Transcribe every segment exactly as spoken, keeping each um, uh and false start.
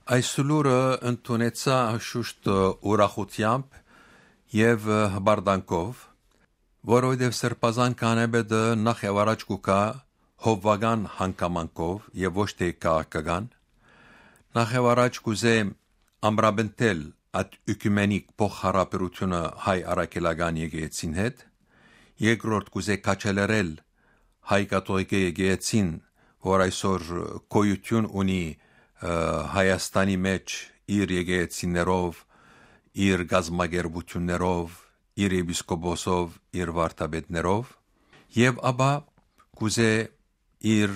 Այս լուրը ընդունեցայ անշուշտ ուրախութեամբ եւ հպարտանքով, որովհետեւ Սրբազան քահանայապետը նախ եւ առաջ կու գայ հովուական հանգամանքով եւ ոչ թէ քաղաքական։ Նախ եւ առաջ կ'ուզէ ամրապնդել այդ եկումենիկ փոխհարաբերութիւնը հայ առաքելական եկեղեցին հետ, երկրորդ կ'ուզէ քաջալերել հայ կաթողիկէ եկեղեցին, որ այսօր գոյութիւն ունի, ը, Հայաստանի մէջ իր եկեղեցիներով, իր կազմակերպութիւններով, իր եպիսկոպոսով, իր վարդապետներով, եւ ապա կ'ուզէ իր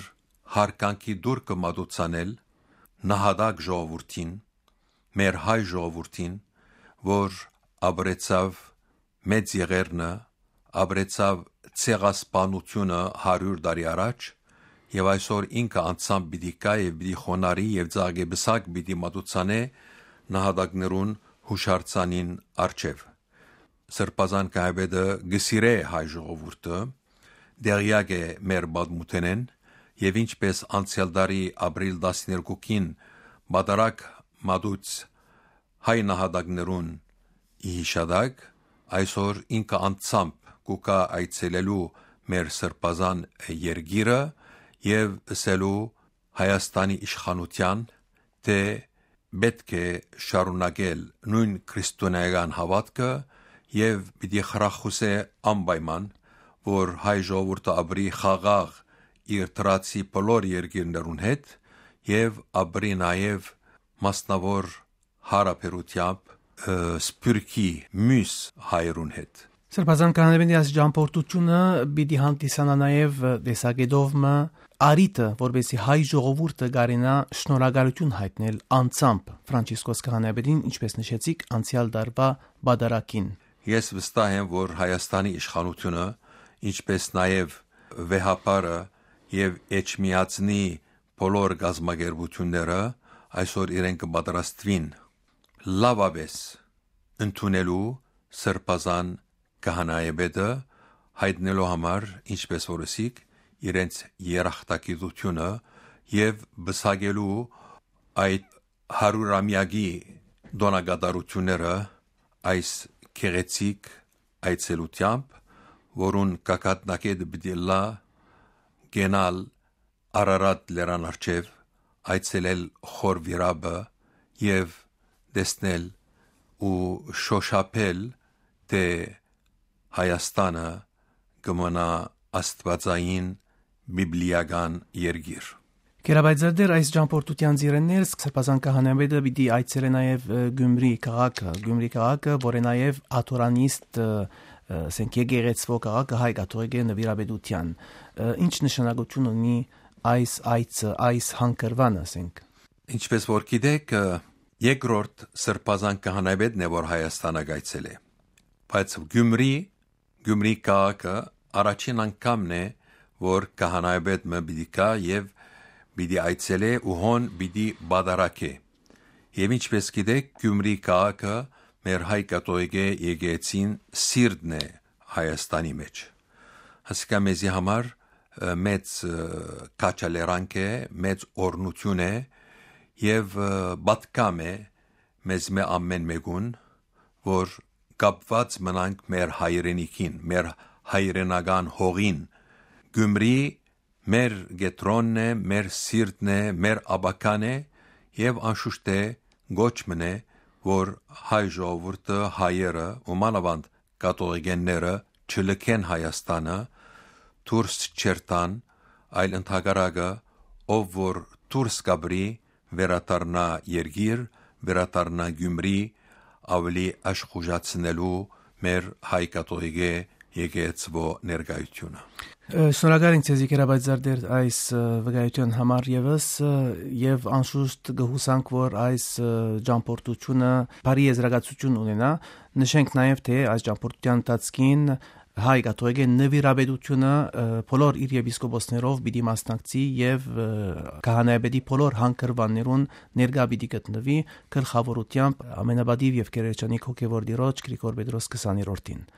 յարգանքի տուրքը մատուցանել նահատակ ժողովուրդին, մեր հայ ժողովուրդին, որ ապրեցաւ մեծ եղերնը, ապրեցաւ ցեղասպանութիւնը հարիւր տարի առաջ, եւ այսօր ինքը անձամբ պիտի գայ եւ պիտի խոնարհի եւ ծաղկի պսակ պիտի մատուցանէ նահատակներուն յուշարձանին առջեւ։ Սրբազան քահանայապետը կը սիրէ հայ ժողովուրդը, տեղեակ է մեր պատմութենէն, եւ ինչպէս անցեալ տարի ապրիլ տասներկուքին պատարագ մատուց հայ նահատակներուն ի յիշատակ, այսօր ինքը անձամբ կու գայ այցելելու մեր սրբազան երկիրը եւ ըսելու Հայաստանի իշխանութեան, թէ պէտք է շարունակել նոյն քրիստոնէական հաւատքը եւ պիտի խրախուսէ անպայման, որ հայ ժողովուրդը ապրի խաղաղ իր դրացի բոլոր երկիրներուն հետ եւ ապրի նաեւ մասնաւոր յարաբերութեամբ, ը, Սփիւռքի միւս հայերուն հետ։ Սրբազան քահանայապետի այս ճամփորդութիւնը պիտի հանդիսանայ նաեւ տեսակետով մը առիթը, որպեսզի հայ ժողովուրդը կարենայ շնորհակալութիւն յայտնել անձամբ Ֆրանցիսկոս քահանայապետին, ինչպէս նշեցիք, անցեալ տարուայ պատարագին։ Ես վստահ եմ, որ Հայաստանի իշխանութիւնը, ինչպէս նաեւ վեհափառը եւ Էջմիածնի բոլոր կազմակերպութիւնները այսօր իրեն կը պատրաստուին լաւապէս ընդունելու սրբազան քահանայապետը, յայտնելու համար, ինչպէս որ ըսիք, իրենց երախտագիտութիւնը եւ պսակելու այդ հարիւրամեակի տօնակատարութիւնները այս գեղեցիկ այցելութեամբ, որուն գագաթնակետը պիտի ըլլայ կենալ Արարատ լերան առջեւ, այցելել Խոր Վիրապը եւ տեսնել ու շոշափել, թէ Հայաստանը կը մնայ աստուածային բիբլիական երկիր։ Կերապայծերդեր, այս ճամփորդութեան ծիրէն ներս Սրբազան քահանայապետը պիտի այցելէ նաեւ, ը, Գյումրի քաղաքը, Գյումրի քաղաքը, որ է նաեւ աթորանիստ, ը, ը, ասենք, եկեղեցվոյ քաղաքը հայ կաթողիկէ նուիրապետութեան։ Ը, ինչ նշանակութիւն ունի այս այցը, այս հանգրուանը, ասենք։ Ինչպէս որ գիտէք, ը, երկրորդ Սրբազան քահանայապետն է, որ Հայաստանը կայցելէ, բայց Գյումրի, Գյումրի քաղաքը առաջին անգամն է, որ քահանայապետ մը պիտի գայ եւ պիտի այցելէ ու հոն պիտի պատարագէ։ Եւ ինչպէս գիտէք, Գյումրի քաղաքը մեր հայ կաթողիկէ եկեղեցին սիրտն է Հայաստանի մէջ։ Ասիկա մեզի համար, ը, մեծ, ը, քաջալերանք է, մեծ օրհնութիւն է եւ, ը, պատգամ է մեզմէ ամէն մէկուն, որ կապուած մնանք մեր հայրենիքին, մեր հայրենական հողին։ Գյումրի մեր կեդրոնն է, մեր սիրտն է, մեր ապագան է եւ անշուշտ է կոչ մըն է, որ հայ ժողովուրդը, հայերը ու մանաւանդ կաթողիկէները չլքեն Հայաստանը, դուրս չերթան, այլ ընդհակառակը, ով որ դուրս կապրի, վերադառնայ երկիր, վերադառնայ Գյումրի, աւելի աշխուժացնելու մեր հայ կաթողիկէ եկեղեցւոյ ներկայութիւնը։ Ը, շնորհակալ ենք ձեզի, Կերապայծարդեր, այս, ը, վկայութեան համար եւս, ը, եւ անշուշտ կը յուսանք, որ այս, ը, ճամփորդութիւնը բարի եզրակացութիւն ունենայ։ Նշենք նաեւ, թէ այս ճամփորդութեան ընթացքին հայ կաթողիկէ նուիրապետութիւնը, ը, բոլոր իր եպիսկոպոսներով պիտի մասնակցի եւ, ը, քահանայապետի բոլոր հանգրուաններուն ներկայ պիտի գտնուի, գլխաւորութեամբ ամենապատիւ եւ գերերջանիկ հոգեւոր տիրոջ Գրիգոր Պետրոս քսաներորդին։